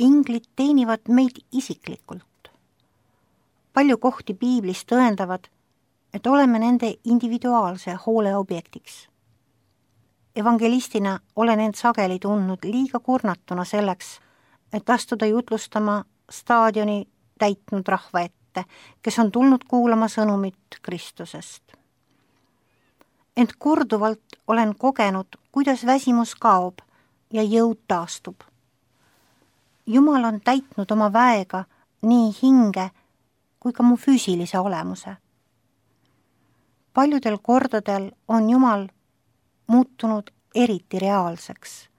inglid teenivad meid isiklikult. Palju kohti piiblis tõendavad, et oleme nende individuaalse hoole objektiks. Evangelistina olen end sageli tundnud liiga kurnatuna selleks, et astuda jutlustama staadioni täitnud rahva ette, kes on tulnud kuulama sõnumit Kristusest. Ent korduvalt olen kogenud, kuidas väsimus kaob ja jõud taastub. Jumal on täitnud oma väega nii hinge kui ka mu füüsilise olemuse. Paljudel kordadel on Jumal muutunud eriti reaalseks.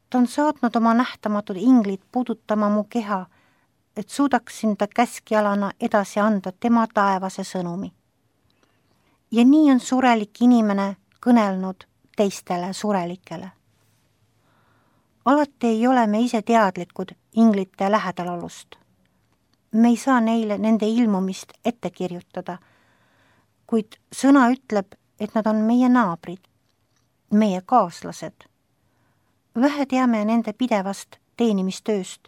Ta on saatnud oma nähtamatud inglid puudutama mu keha, et suudaksin ta käskjalana edasi anda tema taevase sõnumi. Ja nii on surelik inimene kõnelnud teistele surelikele. Alati ei ole me ise teadlikud inglite lähedalolust. Me ei saa neile nende ilmumist ette kirjutada, kuid sõna ütleb, et nad on meie naabrid, meie kaaslased. Vähe teame nende pidevast teenimistööst,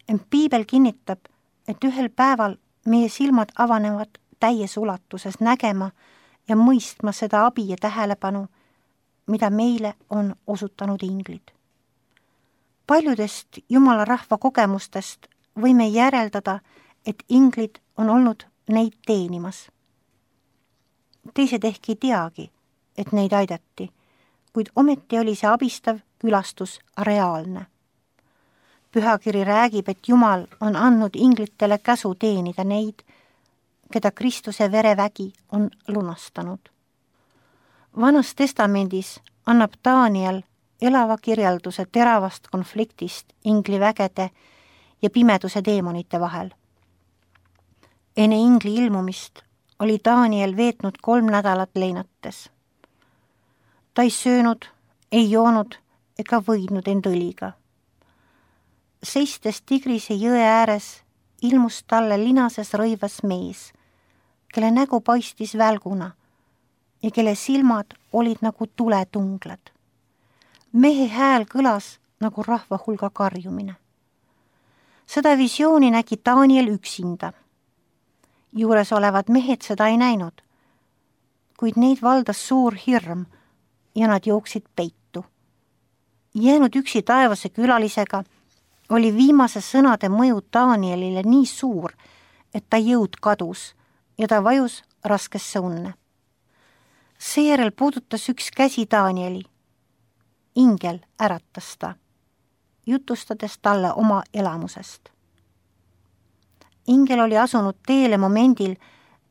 ent piibel kinnitab, et ühel päeval meie silmad avanevad täies ulatuses nägema ja mõistma seda abi ja tähelepanu, mida meile on osutanud inglid. Paljudest Jumala rahva kogemustest võime järeldada, et inglid on olnud neid teenimas. Teised ehk ei teagi, et neid aidati, kuid ometi oli see abistav külastus reaalne. Pühakiri räägib, et Jumal on andnud inglitele käsu teenida neid, keda Kristuse verevägi on lunastanud. Vanas testamendis annab Daniel elava kirjelduse teravast konfliktist inglivägede ja pimeduse deemonite vahel. Enne ingli ilmumist oli Daniel veetnud 3 nädalat leinates. Ta ei söönud, ei joonud ega võidnud end õliga. Seistes Tigrise jõe ääres ilmus talle linases rõivas mees, kelle nägu paistis välguna ja kelle silmad olid nagu tuletunglad. Mehe hääl kõlas nagu rahva hulga karjumine. Seda visiooni nägi Daniel üksinda. Juures olevad mehed seda ei näinud, kuid neid valdas suur hirm ja nad jooksid peitu. Jäänud üksi taevase külalisega oli viimase sõnade mõju Danielile nii suur, et ta jõud kadus ja ta vajus raskesse unne. Seejärel puudutas üks käsi Danieli. Ingel äratas ta, jutustades talle oma elamusest. Ingel oli asunud teele momendil,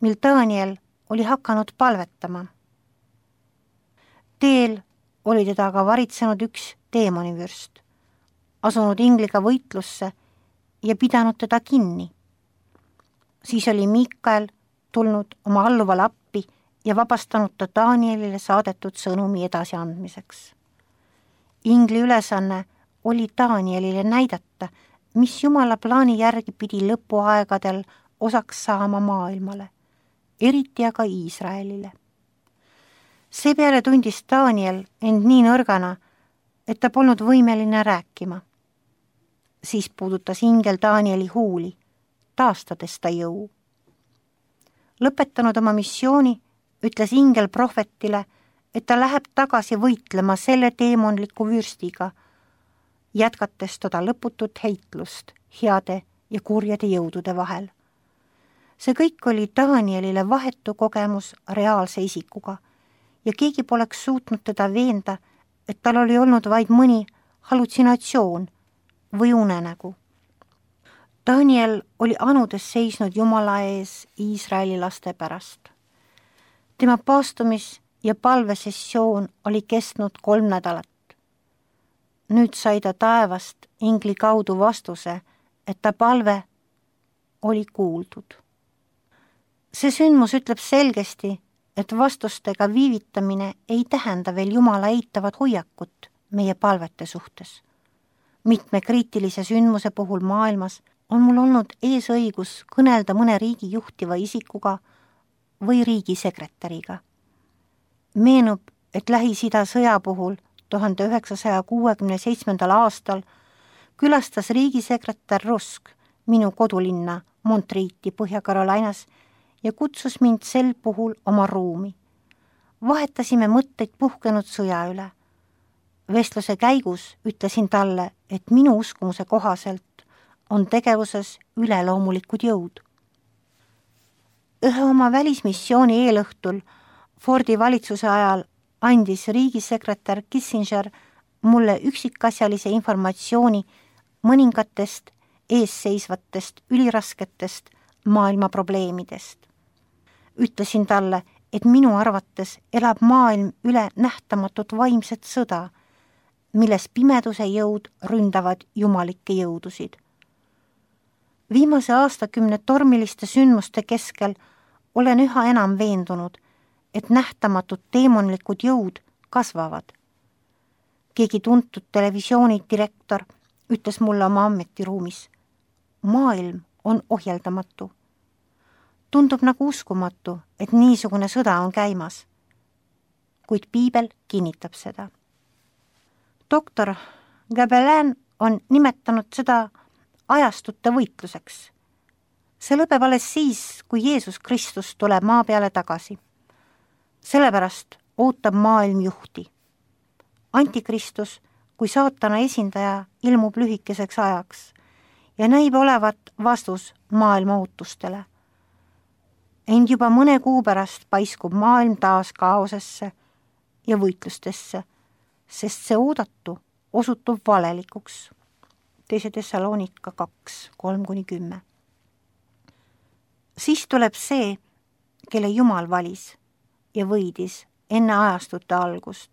mil Daniel oli hakanud palvetama. Teel oli teda aga varitsenud üks teemonivürst, asunud ingliga võitlusse ja pidanud teda kinni. Siis oli Mikael tulnud oma alluvale appi ja vabastanud ta Danielile saadetud sõnumi edasiandmiseks. Ingli ülesanne oli Danielile näidata, mis Jumala plaani järgi pidi lõpuaegadel osaks saama maailmale, eriti aga Iisraelile. Seepeale tundis Daniel end nii nõrgana, et ta polnud võimeline rääkima. Siis puudutas ingel Danieli huuli, taastades ta jõu. Lõpetanud oma missiooni, ütles ingel prohvetile, et ta läheb tagasi võitlema selle teemonliku vürstiga, jätkates toda lõputut heitlust heade ja kurjade jõudude vahel. See kõik oli Danielile vahetu kogemus reaalse isikuga ja keegi poleks suutnud teda veenda, et tal oli olnud vaid mõni hallutsinatsioon või unenägu. Daniel oli anudes seisnud Jumala ees Iisraeli laste pärast. Tema paastumis- ja palvesessioon oli kestnud 3 nädalat. Nüüd sai ta taevast ingli kaudu vastuse, et ta palve oli kuuldud. See sündmus ütleb selgesti, et vastustega viivitamine ei tähenda veel Jumala eitavat hoiakut meie palvete suhtes. Mitme kriitilise sündmuse puhul maailmas on mul olnud eesõigus kõnelda mõne riigi juhtiva isikuga või riigisekretäriga. Meenub, et Lähis-Ida sõja puhul 1967. aastal külastas riigisekretär Rusk minu kodulinna Montreati Põhja-Carolinas ja kutsus mind sel puhul oma ruumi. Vahetasime mõtteid puhkenud sõja üle. Vestluse käigus ütlesin talle, et minu uskumuse kohaselt on tegevuses üleloomulikud jõud. Ühe oma välismissiooni eelõhtul Fordi valitsuse ajal andis riigisekretär Kissinger mulle üksikasjalise informatsiooni mõningatest eesseisvatest ülirasketest maailma probleemidest. Ütlesin talle, et minu arvates elab maailm üle nähtamatut vaimset sõda, milles pimeduse jõud ründavad jumalikke jõudusid. Viimase aastakümne tormiliste sündmuste keskel olen üha enam veendunud, et nähtamatud teemonlikud jõud kasvavad. Keegi tuntud televisiooni direktor ütles mulle oma ametiruumis: maailm on ohjeldamatu. Tundub nagu uskumatu, et niisugune sõda on käimas. Kuid piibel kinnitab seda. Doktor Gabelin on nimetanud seda ajastute võitluseks. See lõpeb alles siis, kui Jeesus Kristus tuleb maa peale tagasi. Sellepärast ootab maailm juhti. Antikristus kui saatana esindaja ilmub lühikeseks ajaks ja näib olevat vastus maailma ootustele. Ent juba mõne kuu pärast paiskub maailm taas kaosesse ja võitlustesse, sest see oodatu osutub valelikuks. 2. Thessalonika 2:3-10. Siis tuleb see, kelle Jumal valis ja võidis enne ajastute algust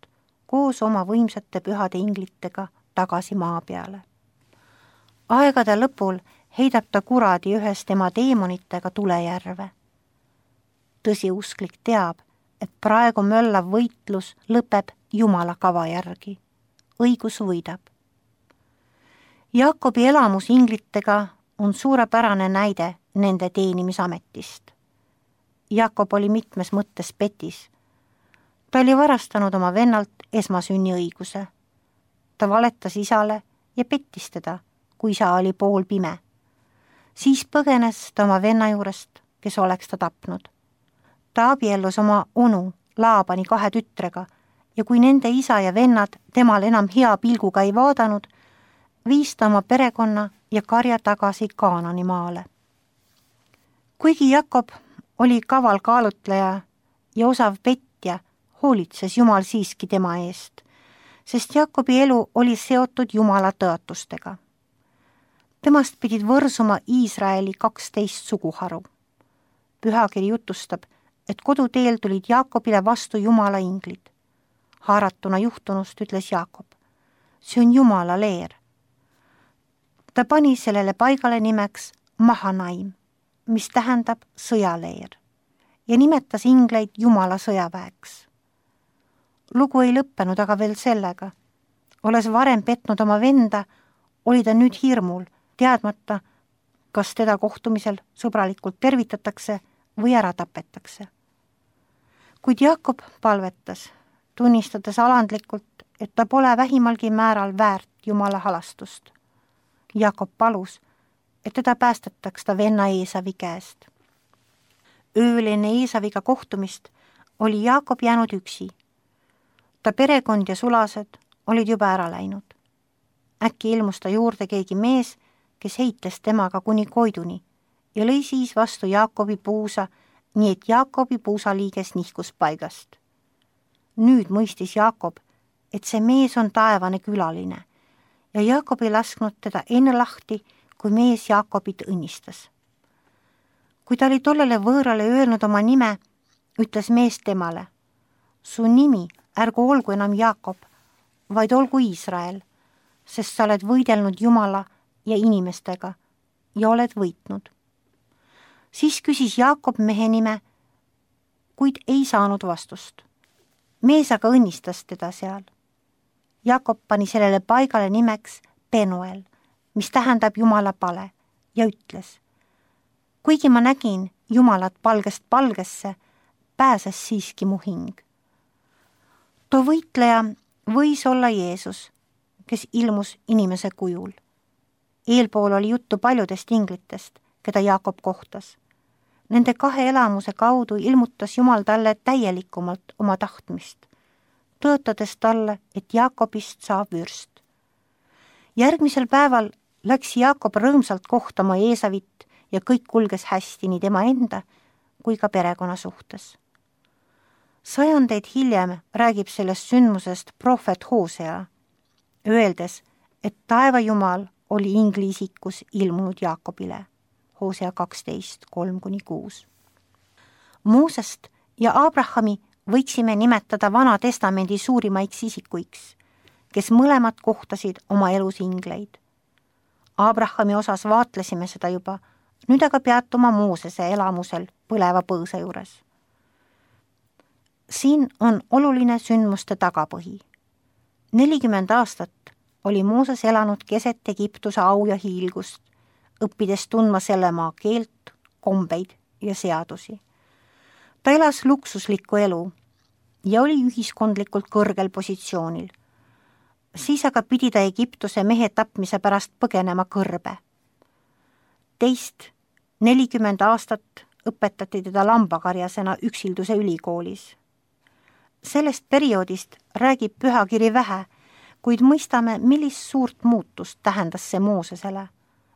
koos oma võimsate pühade inglitega tagasi maa peale. Aegade lõpul heidab ta kuradi ühes tema teemonitega tulejärve. Tõsiusklik teab, et praegu möllav võitlus lõpeb Jumala kava järgi. Õigus võidab. Jaakobi elamus inglitega on suurepärane näide nende teenimisametist. Jaakob oli mitmes mõttes petis. Ta oli varastanud oma vennalt esmasünniõiguse. Ta valetas isale ja pettis teda, kui isa oli poolpime. Siis põgenes ta oma venna juurest, kes oleks ta tapnud. Ta abiellus oma onu Laabani 2 tütrega ja kui nende isa ja vennad temal enam hea pilguga ei vaadanud, viis ta oma perekonna ja karja tagasi Kaanani maale. Kuigi Jakob oli kaval kaalutleja ja osav petja, hoolitses Jumal siiski tema eest, sest Jakobi elu oli seotud Jumala tõotustega. Temast pidid võrsuma Iisraeli 12 suguharu. Pühakiri jutustab, et koduteel tulid Jaakobile vastu Jumala inglid. Haaratuna juhtunust ütles Jaakob: see on Jumala leer. Ta pani sellele paigale nimeks Mahanaim, mis tähendab sõjaleer, ja nimetas ingleid Jumala sõjaväeks. Lugu ei lõppenud aga veel sellega. Olles varem petnud oma venda, oli ta nüüd hirmul, teadmata, kas teda kohtumisel sõbralikult tervitatakse või ära tapetakse. Kuid Jaakob palvetas, tunnistades alandlikult, et ta pole vähimalgi määral väärt Jumala halastust. Jaakob palus, et teda päästetaks ta venna Eesavi käest. Ööl enne Eesaviga kohtumist oli Jaakob jäänud üksi. Ta perekond ja sulased olid juba ära läinud. Äkki ilmus ta juurde keegi mees, kes heites temaga kuni Koiduni ja lõi siis vastu Jaakobi puusa, nii et Jaakobi puusaliiges nihkus paigast. Nüüd mõistis Jaakob, et see mees on taevane külaline ja Jaakob ei lasknud teda enne lahti, kui mees Jaakobit õnnistas. Kui ta oli tollele võõrale öelnud oma nime, ütles mees temale: su nimi ärgu olgu enam Jaakob, vaid olgu Iisrael, sest sa oled võidelnud Jumala ja inimestega ja oled võitnud. Siis küsis Jaakob mehe nime, kuid ei saanud vastust. Mees aga õnnistas teda seal. Jaakob pani sellele paigale nimeks Penuel, mis tähendab Jumala pale, ja ütles: kuigi ma nägin Jumalat palgest palgesse, pääses siiski mu hing. Too võitleja võis olla Jeesus, kes ilmus inimese kujul. Eelpool oli juttu paljudest inglitest, keda Jaakob kohtas. Nende 2 elamuse kaudu ilmutas Jumal talle täielikumalt oma tahtmist, tõotades talle, et Jaakobist saab vürst. Järgmisel päeval läks Jaakob rõõmsalt kohtama Eesavit ja kõik kulges hästi nii tema enda kui ka perekonna suhtes. 100 hiljem räägib sellest sündmusest prohvet Hosea, öeldes, et taevajumal oli ingli isikus ilmunud Jaakobile. Hosea 12:3-6. Moosest ja Abrahami võiksime nimetada Vana Testamendi suurimaiks isikuiks, kes mõlemad kohtasid oma elus ingleid. Abrahami osas vaatlesime seda juba, nüüd aga peatuma Moosese elamusel põleva põõsa juures. Siin on oluline sündmuste tagapõhi. 40 aastat oli Mooses elanud keset Egiptuse au ja hiilgust, õppides tundma selle maa keelt, kombeid ja seadusi. Ta elas luksuslikku elu ja oli ühiskondlikult kõrgel positsioonil. Siis aga pidi ta Egiptuse mehe tapmise pärast põgenema kõrbe. Teist 40 aastat õpetati teda lambakarjasena üksilduse ülikoolis. Sellest perioodist räägib pühakiri vähe, kuid mõistame, millist suurt muutust tähendas see Moosesele,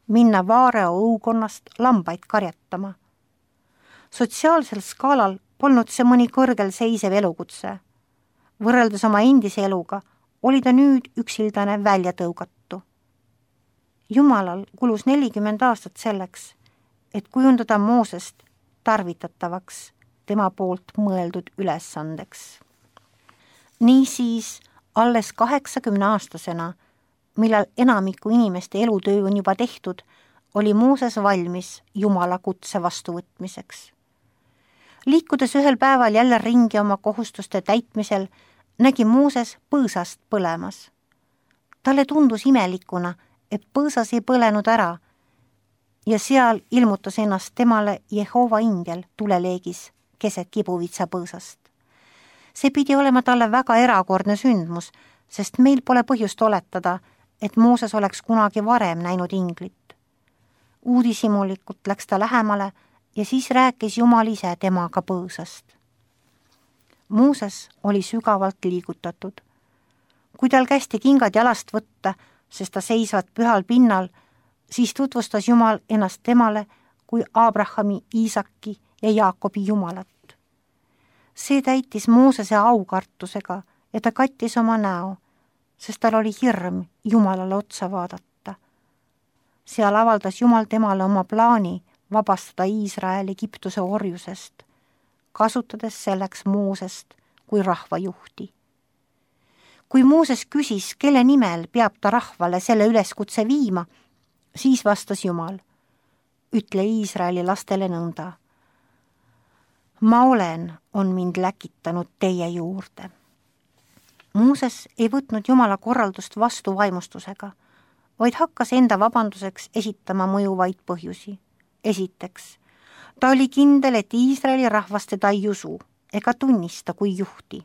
minna Vaareo õukonnast lambaid karjatama. Sotsiaalsel skaalal polnud see mõni kõrgel seisev elukutse. Võrreldes oma endise eluga oli ta nüüd üksildane väljatõugatu. Jumalal kulus 40 aastat selleks, et kujundada Moosest tarvitatavaks tema poolt mõeldud ülesandeks. Niisiis alles 80-aastasena, millal enamiku inimeste elutöö on juba tehtud, oli Mooses valmis Jumala kutse vastuvõtmiseks. Liikudes ühel päeval jälle ringi oma kohustuste täitmisel, nägi Mooses põõsast põlemas. Talle tundus imelikuna, et põõsas ei põlenud ära ja seal ilmutas ennast temale Jehova ingel tuleleegis keset kibuvitsa põõsast. See pidi olema talle väga erakordne sündmus, sest meil pole põhjust oletada, et Mooses oleks kunagi varem näinud inglit. Uudishimulikult läks ta lähemale ja siis rääkis Jumal ise temaga põõsast. Mooses oli sügavalt liigutatud. Kui tal kästi kingad jalast võtta, sest ta seisvad pühal pinnal, siis tutvustas Jumal ennast temale kui Abrahami, Iisaki ja Jaakobi Jumalat. See täitis Moosese aukartusega ja ta kattis oma näo, sest tal oli hirm Jumalale otsa vaadata. Seal avaldas Jumal temale oma plaani vabastada Iisrael Egiptuse orjusest, kasutades selleks Moosest kui rahvajuhti. Kui Mooses küsis, kelle nimel peab ta rahvale selle üleskutse viima, siis vastas Jumal, ütle Iisraeli lastele nõnda. Ma olen, on mind läkitanud teie juurde. Mooses ei võtnud Jumala korraldust vastu vaimustusega, vaid hakkas enda vabanduseks esitama mõjuvaid põhjusi. Esiteks, ta oli kindel, et Iisraeli rahvas teda ei usu ega tunnista kui juhti.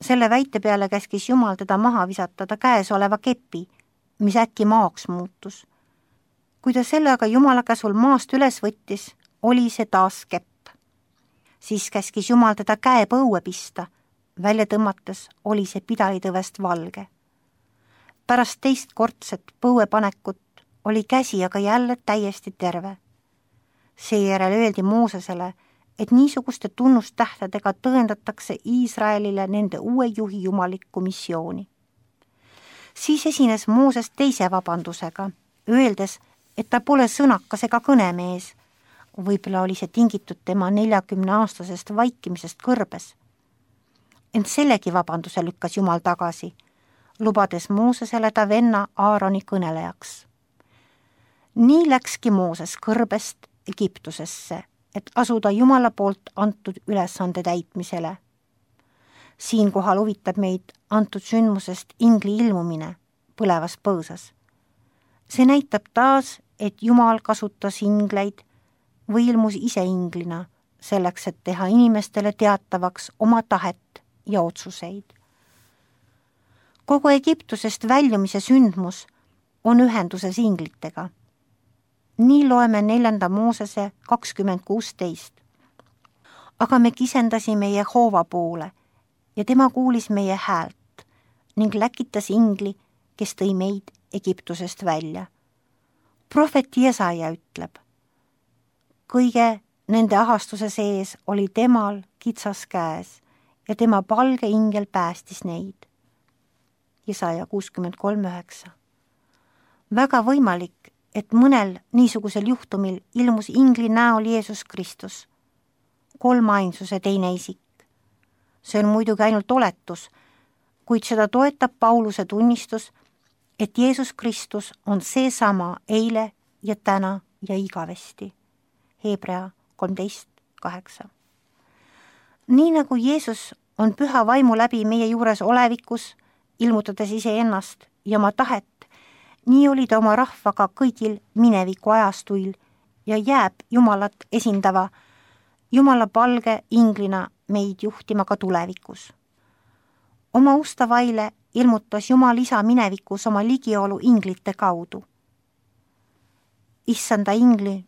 Selle väite peale käskis Jumal teda maha visata ta käes oleva kepi, mis äkki maaks muutus. Kui ta selle aga Jumala käsul maast üles võttis, oli see taas kepp. Siis käskis Jumal teda käe põue pista, välja tõmmates oli see pidalitõvest valge. Pärast teist kordset põuepanekut oli käsi aga jälle täiesti terve. Seejärel öeldi Moosesele, et niisuguste tunnustähtedega tõendatakse Iisraelile nende uue juhi jumalikku missiooni. Siis esines Mooses teise vabandusega, öeldes, et ta pole sõnakas ega kõnemees. Võib-olla oli see tingitud tema 40-aastasest vaikimisest kõrbes. Ent sellegi vabanduse lükkas Jumal tagasi, lubades Moosesele ta venna Aaroni kõnelejaks. Nii läkski Mooses kõrbest Egiptusesse, et asuda Jumala poolt antud ülesande täitmisele. Siinkohal huvitab meid antud sündmusest ingli ilmumine põlevas põõsas. See näitab taas, et Jumal kasutas ingleid või ilmus ise inglina selleks, et teha inimestele teatavaks oma tahet ja otsuseid. Kogu Egiptusest väljumise sündmus on ühenduses inglitega. Nii loeme 4. Moosese 20:16. Aga me kisendasime Jehova poole ja tema kuulis meie häält ning läkitas ingli, kes tõi meid Egiptusest välja. Prohvet Jesaja ütleb, kõige nende ahastuse sees oli temal kitsas käes ja tema palge ingel päästis neid. Jesaja 63:9. Väga võimalik, et mõnel niisugusel juhtumil ilmus ingli näol Jeesus Kristus, kolmainsuse teine isik. See on muidugi ainult oletus, kuid seda toetab Pauluse tunnistus, et Jeesus Kristus on seesama eile ja täna ja igavesti. Hebra 13:8. Nii nagu Jeesus on püha vaimu läbi meie juures olevikus, ilmutades iseennast ja oma tahet, nii oli ta oma rahvaga kõigil mineviku ajastuil ja jääb Jumalat esindava Jumala palge inglina meid juhtima ka tulevikus. Oma ustavaile ilmutas Jumal isa minevikus oma ligiolu inglite kaudu. Issanda ingli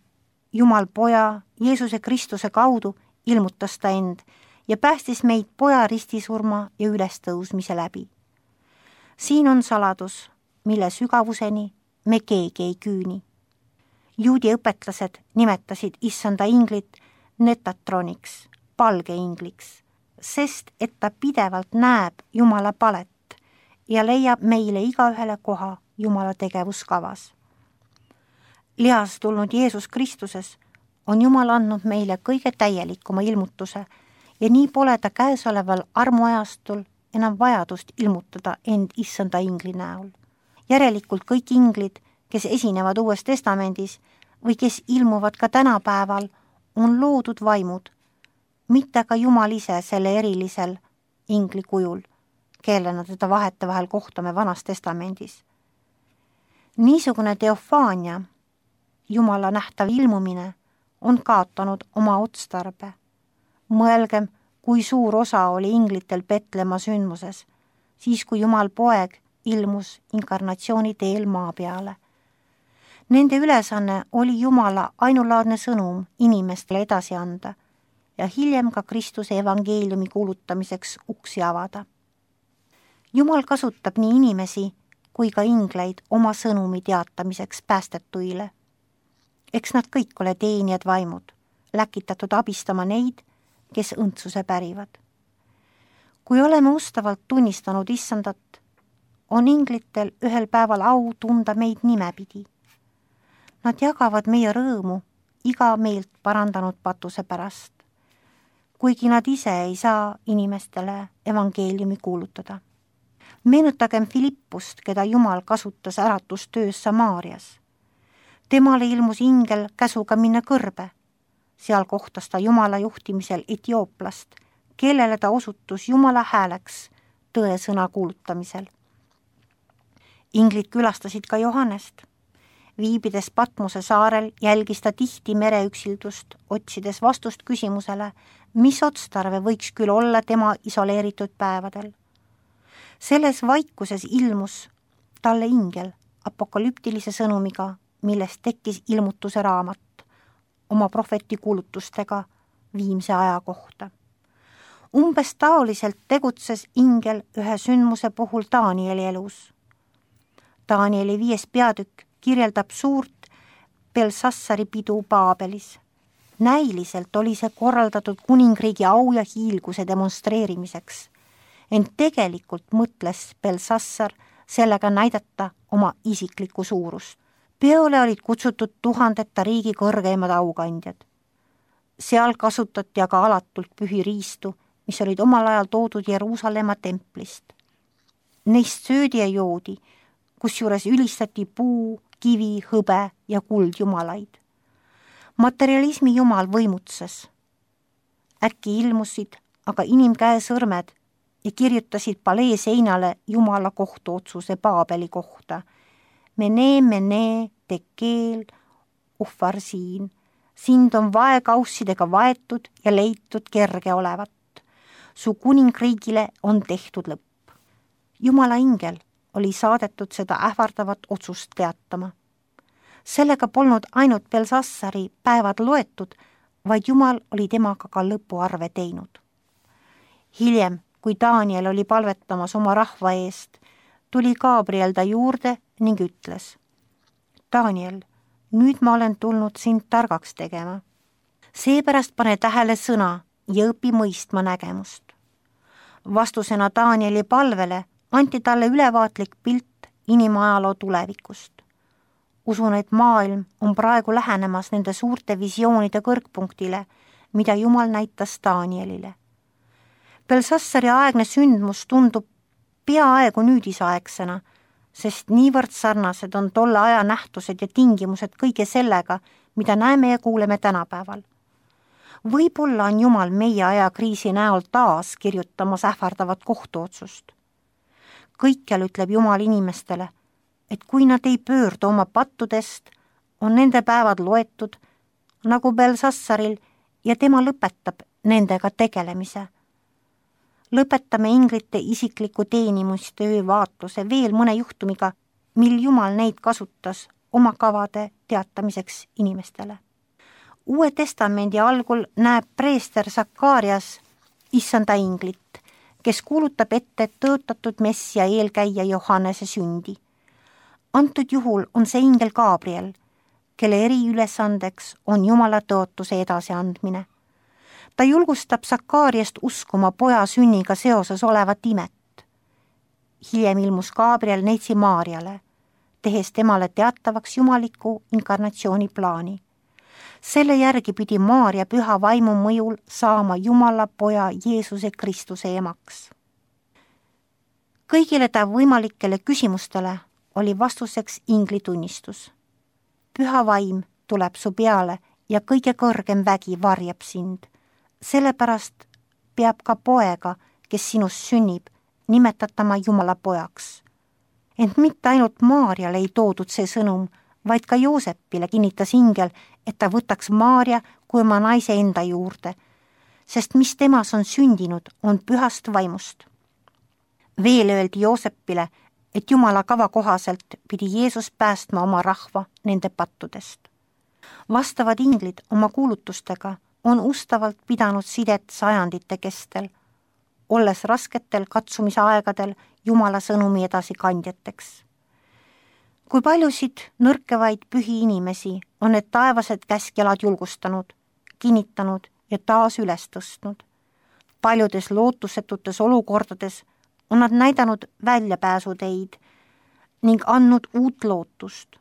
Jumal poja Jeesuse Kristuse kaudu ilmutas ta end ja päästis meid poja ristisurma ja ülestõusmise läbi. Siin on saladus, mille sügavuseni me keegi ei küüni. Juudi õpetlased nimetasid issanda inglit Netatroniks, palgeingliks, sest et ta pidevalt näeb Jumala palet ja leiab meile igaühele koha Jumala tegevuskavas. Lihas tulnud Jeesus Kristuses on Jumal andnud meile kõige täielikuma ilmutuse ja nii pole ta käesoleval armuajastul enam vajadust ilmutada end issanda ingli näol. Järelikult kõik inglid, kes esinevad Uues Testamendis või kes ilmuvad ka tänapäeval, on loodud vaimud, mitte ka Jumal ise selle erilisel ingli kujul, kellena teda vahetevahel kohtame Vanas Testamendis. Niisugune teofaania, Jumala nähtav ilmumine, on kaotanud oma otstarbe. Mõelgem, kui suur osa oli inglitel Petlemma sündmuses, siis kui Jumal poeg ilmus inkarnatsiooni teel maa peale. Nende ülesanne oli Jumala ainulaadne sõnum inimestele edasi anda ja hiljem ka Kristuse evangeeliumi kuulutamiseks uksi avada. Jumal kasutab nii inimesi kui ka ingleid oma sõnumi teatamiseks päästetuile. Eks nad kõik ole teenijad vaimud, läkitatud abistama neid, kes õndsuse pärivad. Kui oleme ustavalt tunnistanud issandat, on inglitel ühel päeval au tunda meid nimepidi. Nad jagavad meie rõõmu iga meelt parandanud patuse pärast, kuigi nad ise ei saa inimestele evangeeliumi kuulutada. Meenutagem Filippust, keda Jumal kasutas äratustöös Samaarias. Temale ilmus ingel käsuga minna kõrbe. Seal kohtas ta Jumala juhtimisel Etiooplast, kellele ta osutus Jumala hääleks tõesõna kuulutamisel. Inglid külastasid ka Johannest. Viibides Patmose saarel jälgis ta tihti mereüksildust, otsides vastust küsimusele, mis otstarve võiks küll olla tema isoleeritud päevadel. Selles vaikuses ilmus talle ingel apokalüptilise sõnumiga, millest tekkis ilmutuse raamat oma prohveti kuulutustega viimse aja kohta. Umbes taoliselt tegutses ingel ühe sündmuse puhul Danieli elus. Danieli 5. peatükk kirjeldab suurt Belsassari pidu Paabelis. Näiliselt oli see korraldatud kuningriigi au ja hiilguse demonstreerimiseks, ent tegelikult mõtles Belsassar sellega näidata oma isiklikku suurust. Peole olid kutsutud tuhandeta riigi kõrgeimad aukandjad. Seal kasutati aga alatult pühi riistu, mis olid omal ajal toodud Jeruusalemma templist. Neist söödi ja joodi, kusjuures ülistati puu, kivi, hõbe ja kuldjumalaid. Materialismi jumal võimutses. Äkki ilmusid aga inimkäe sõrmed ja kirjutasid palee seinale Jumala kohtuotsuse Paabeli kohta. Mene, tekeel, uhvarsiin. Sind on vaekaussidega vaetud ja leitud kerge olevat. Su kuningriigile on tehtud lõpp. Jumala ingel oli saadetud seda ähvardavat otsust teatama. Sellega polnud ainult Belsassari päevad loetud, vaid Jumal oli temaga ka lõpuarve teinud. Hiljem, kui Daniel oli palvetamas oma rahva eest, tuli Gabriel ta juurde ning ütles: Daniel, nüüd ma olen tulnud sind targaks tegema. Seepärast pane tähele sõna ja õpi mõistma nägemust. Vastusena Danieli palvele anti talle ülevaatlik pilt inimajaloo tulevikust. Usun, et maailm on praegu lähenemas nende suurte visioonide kõrgpunktile, mida Jumal näitas Danielile. Belsassari aegne sündmus tundub peaaegu nüüdisaegsena, sest niivõrd sarnased on tolle aja nähtused ja tingimused kõige sellega, mida näeme ja kuuleme tänapäeval. Võib-olla on Jumal meie ajakriisi näol taas kirjutamas ähvardavat kohtuotsust. Kõikjal ütleb Jumal inimestele, et kui nad ei pöördu oma pattudest, on nende päevad loetud, nagu Belsassaril, ja tema lõpetab nendega tegelemise. Lõpetame inglite isikliku teenimustöö vaatluse veel mõne juhtumiga, mil Jumal neid kasutas oma kavade teatamiseks inimestele. Uue testamendi algul näeb preester Sakarias issanda inglit, kes kuulutab ette tõotatud messia eelkäija Johannese sündi. Antud juhul on see ingel Gabriel, kelle eriülesandeks on Jumala tõotuse edasiandmine. Ta julgustab Sakariast uskuma poja sünniga seoses olevat imet. Hiljem ilmus Gabriel neitsi Maarjale, tehes temale teatavaks jumaliku inkarnatsiooni plaani. Selle järgi pidi Maarja püha vaimu mõjul saama Jumala poja Jeesuse Kristuse emaks. Kõigile ta võimalikele küsimustele oli vastuseks ingli tunnistus. Püha vaim tuleb su peale ja kõige kõrgem vägi varjab sind. Sellepärast peab ka poega, kes sinust sünnib, nimetatama Jumala pojaks. Ent mitte ainult Maarjale ei toodud see sõnum, vaid ka Joosepile kinnitas ingel, et ta võtaks Maarja kui oma naise enda juurde, sest mis temas on sündinud, on pühast vaimust. Veel öeldi Joosepile, et Jumala kava kohaselt pidi Jeesus päästma oma rahva nende pattudest. Vastavad inglid oma kuulutustega on ustavalt pidanud sidet sajandite kestel, olles rasketel katsumise aegadel Jumala sõnumi edasikandjateks. Kui paljusid nõrkevaid pühi inimesi on need taevased käskjalad julgustanud, kinnitanud ja taas üles tõstnud. Paljudes lootusetutes olukordades on nad näidanud väljapääsuteid ning andnud uut lootust.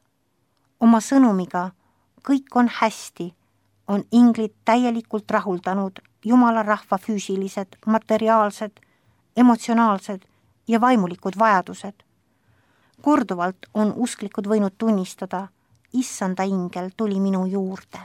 Oma sõnumiga kõik on hästi, on inglid täielikult rahuldanud Jumala rahva füüsilised, materiaalsed, emotsionaalsed ja vaimulikud vajadused. Korduvalt on usklikud võinud tunnistada, issanda ingel tuli minu juurde.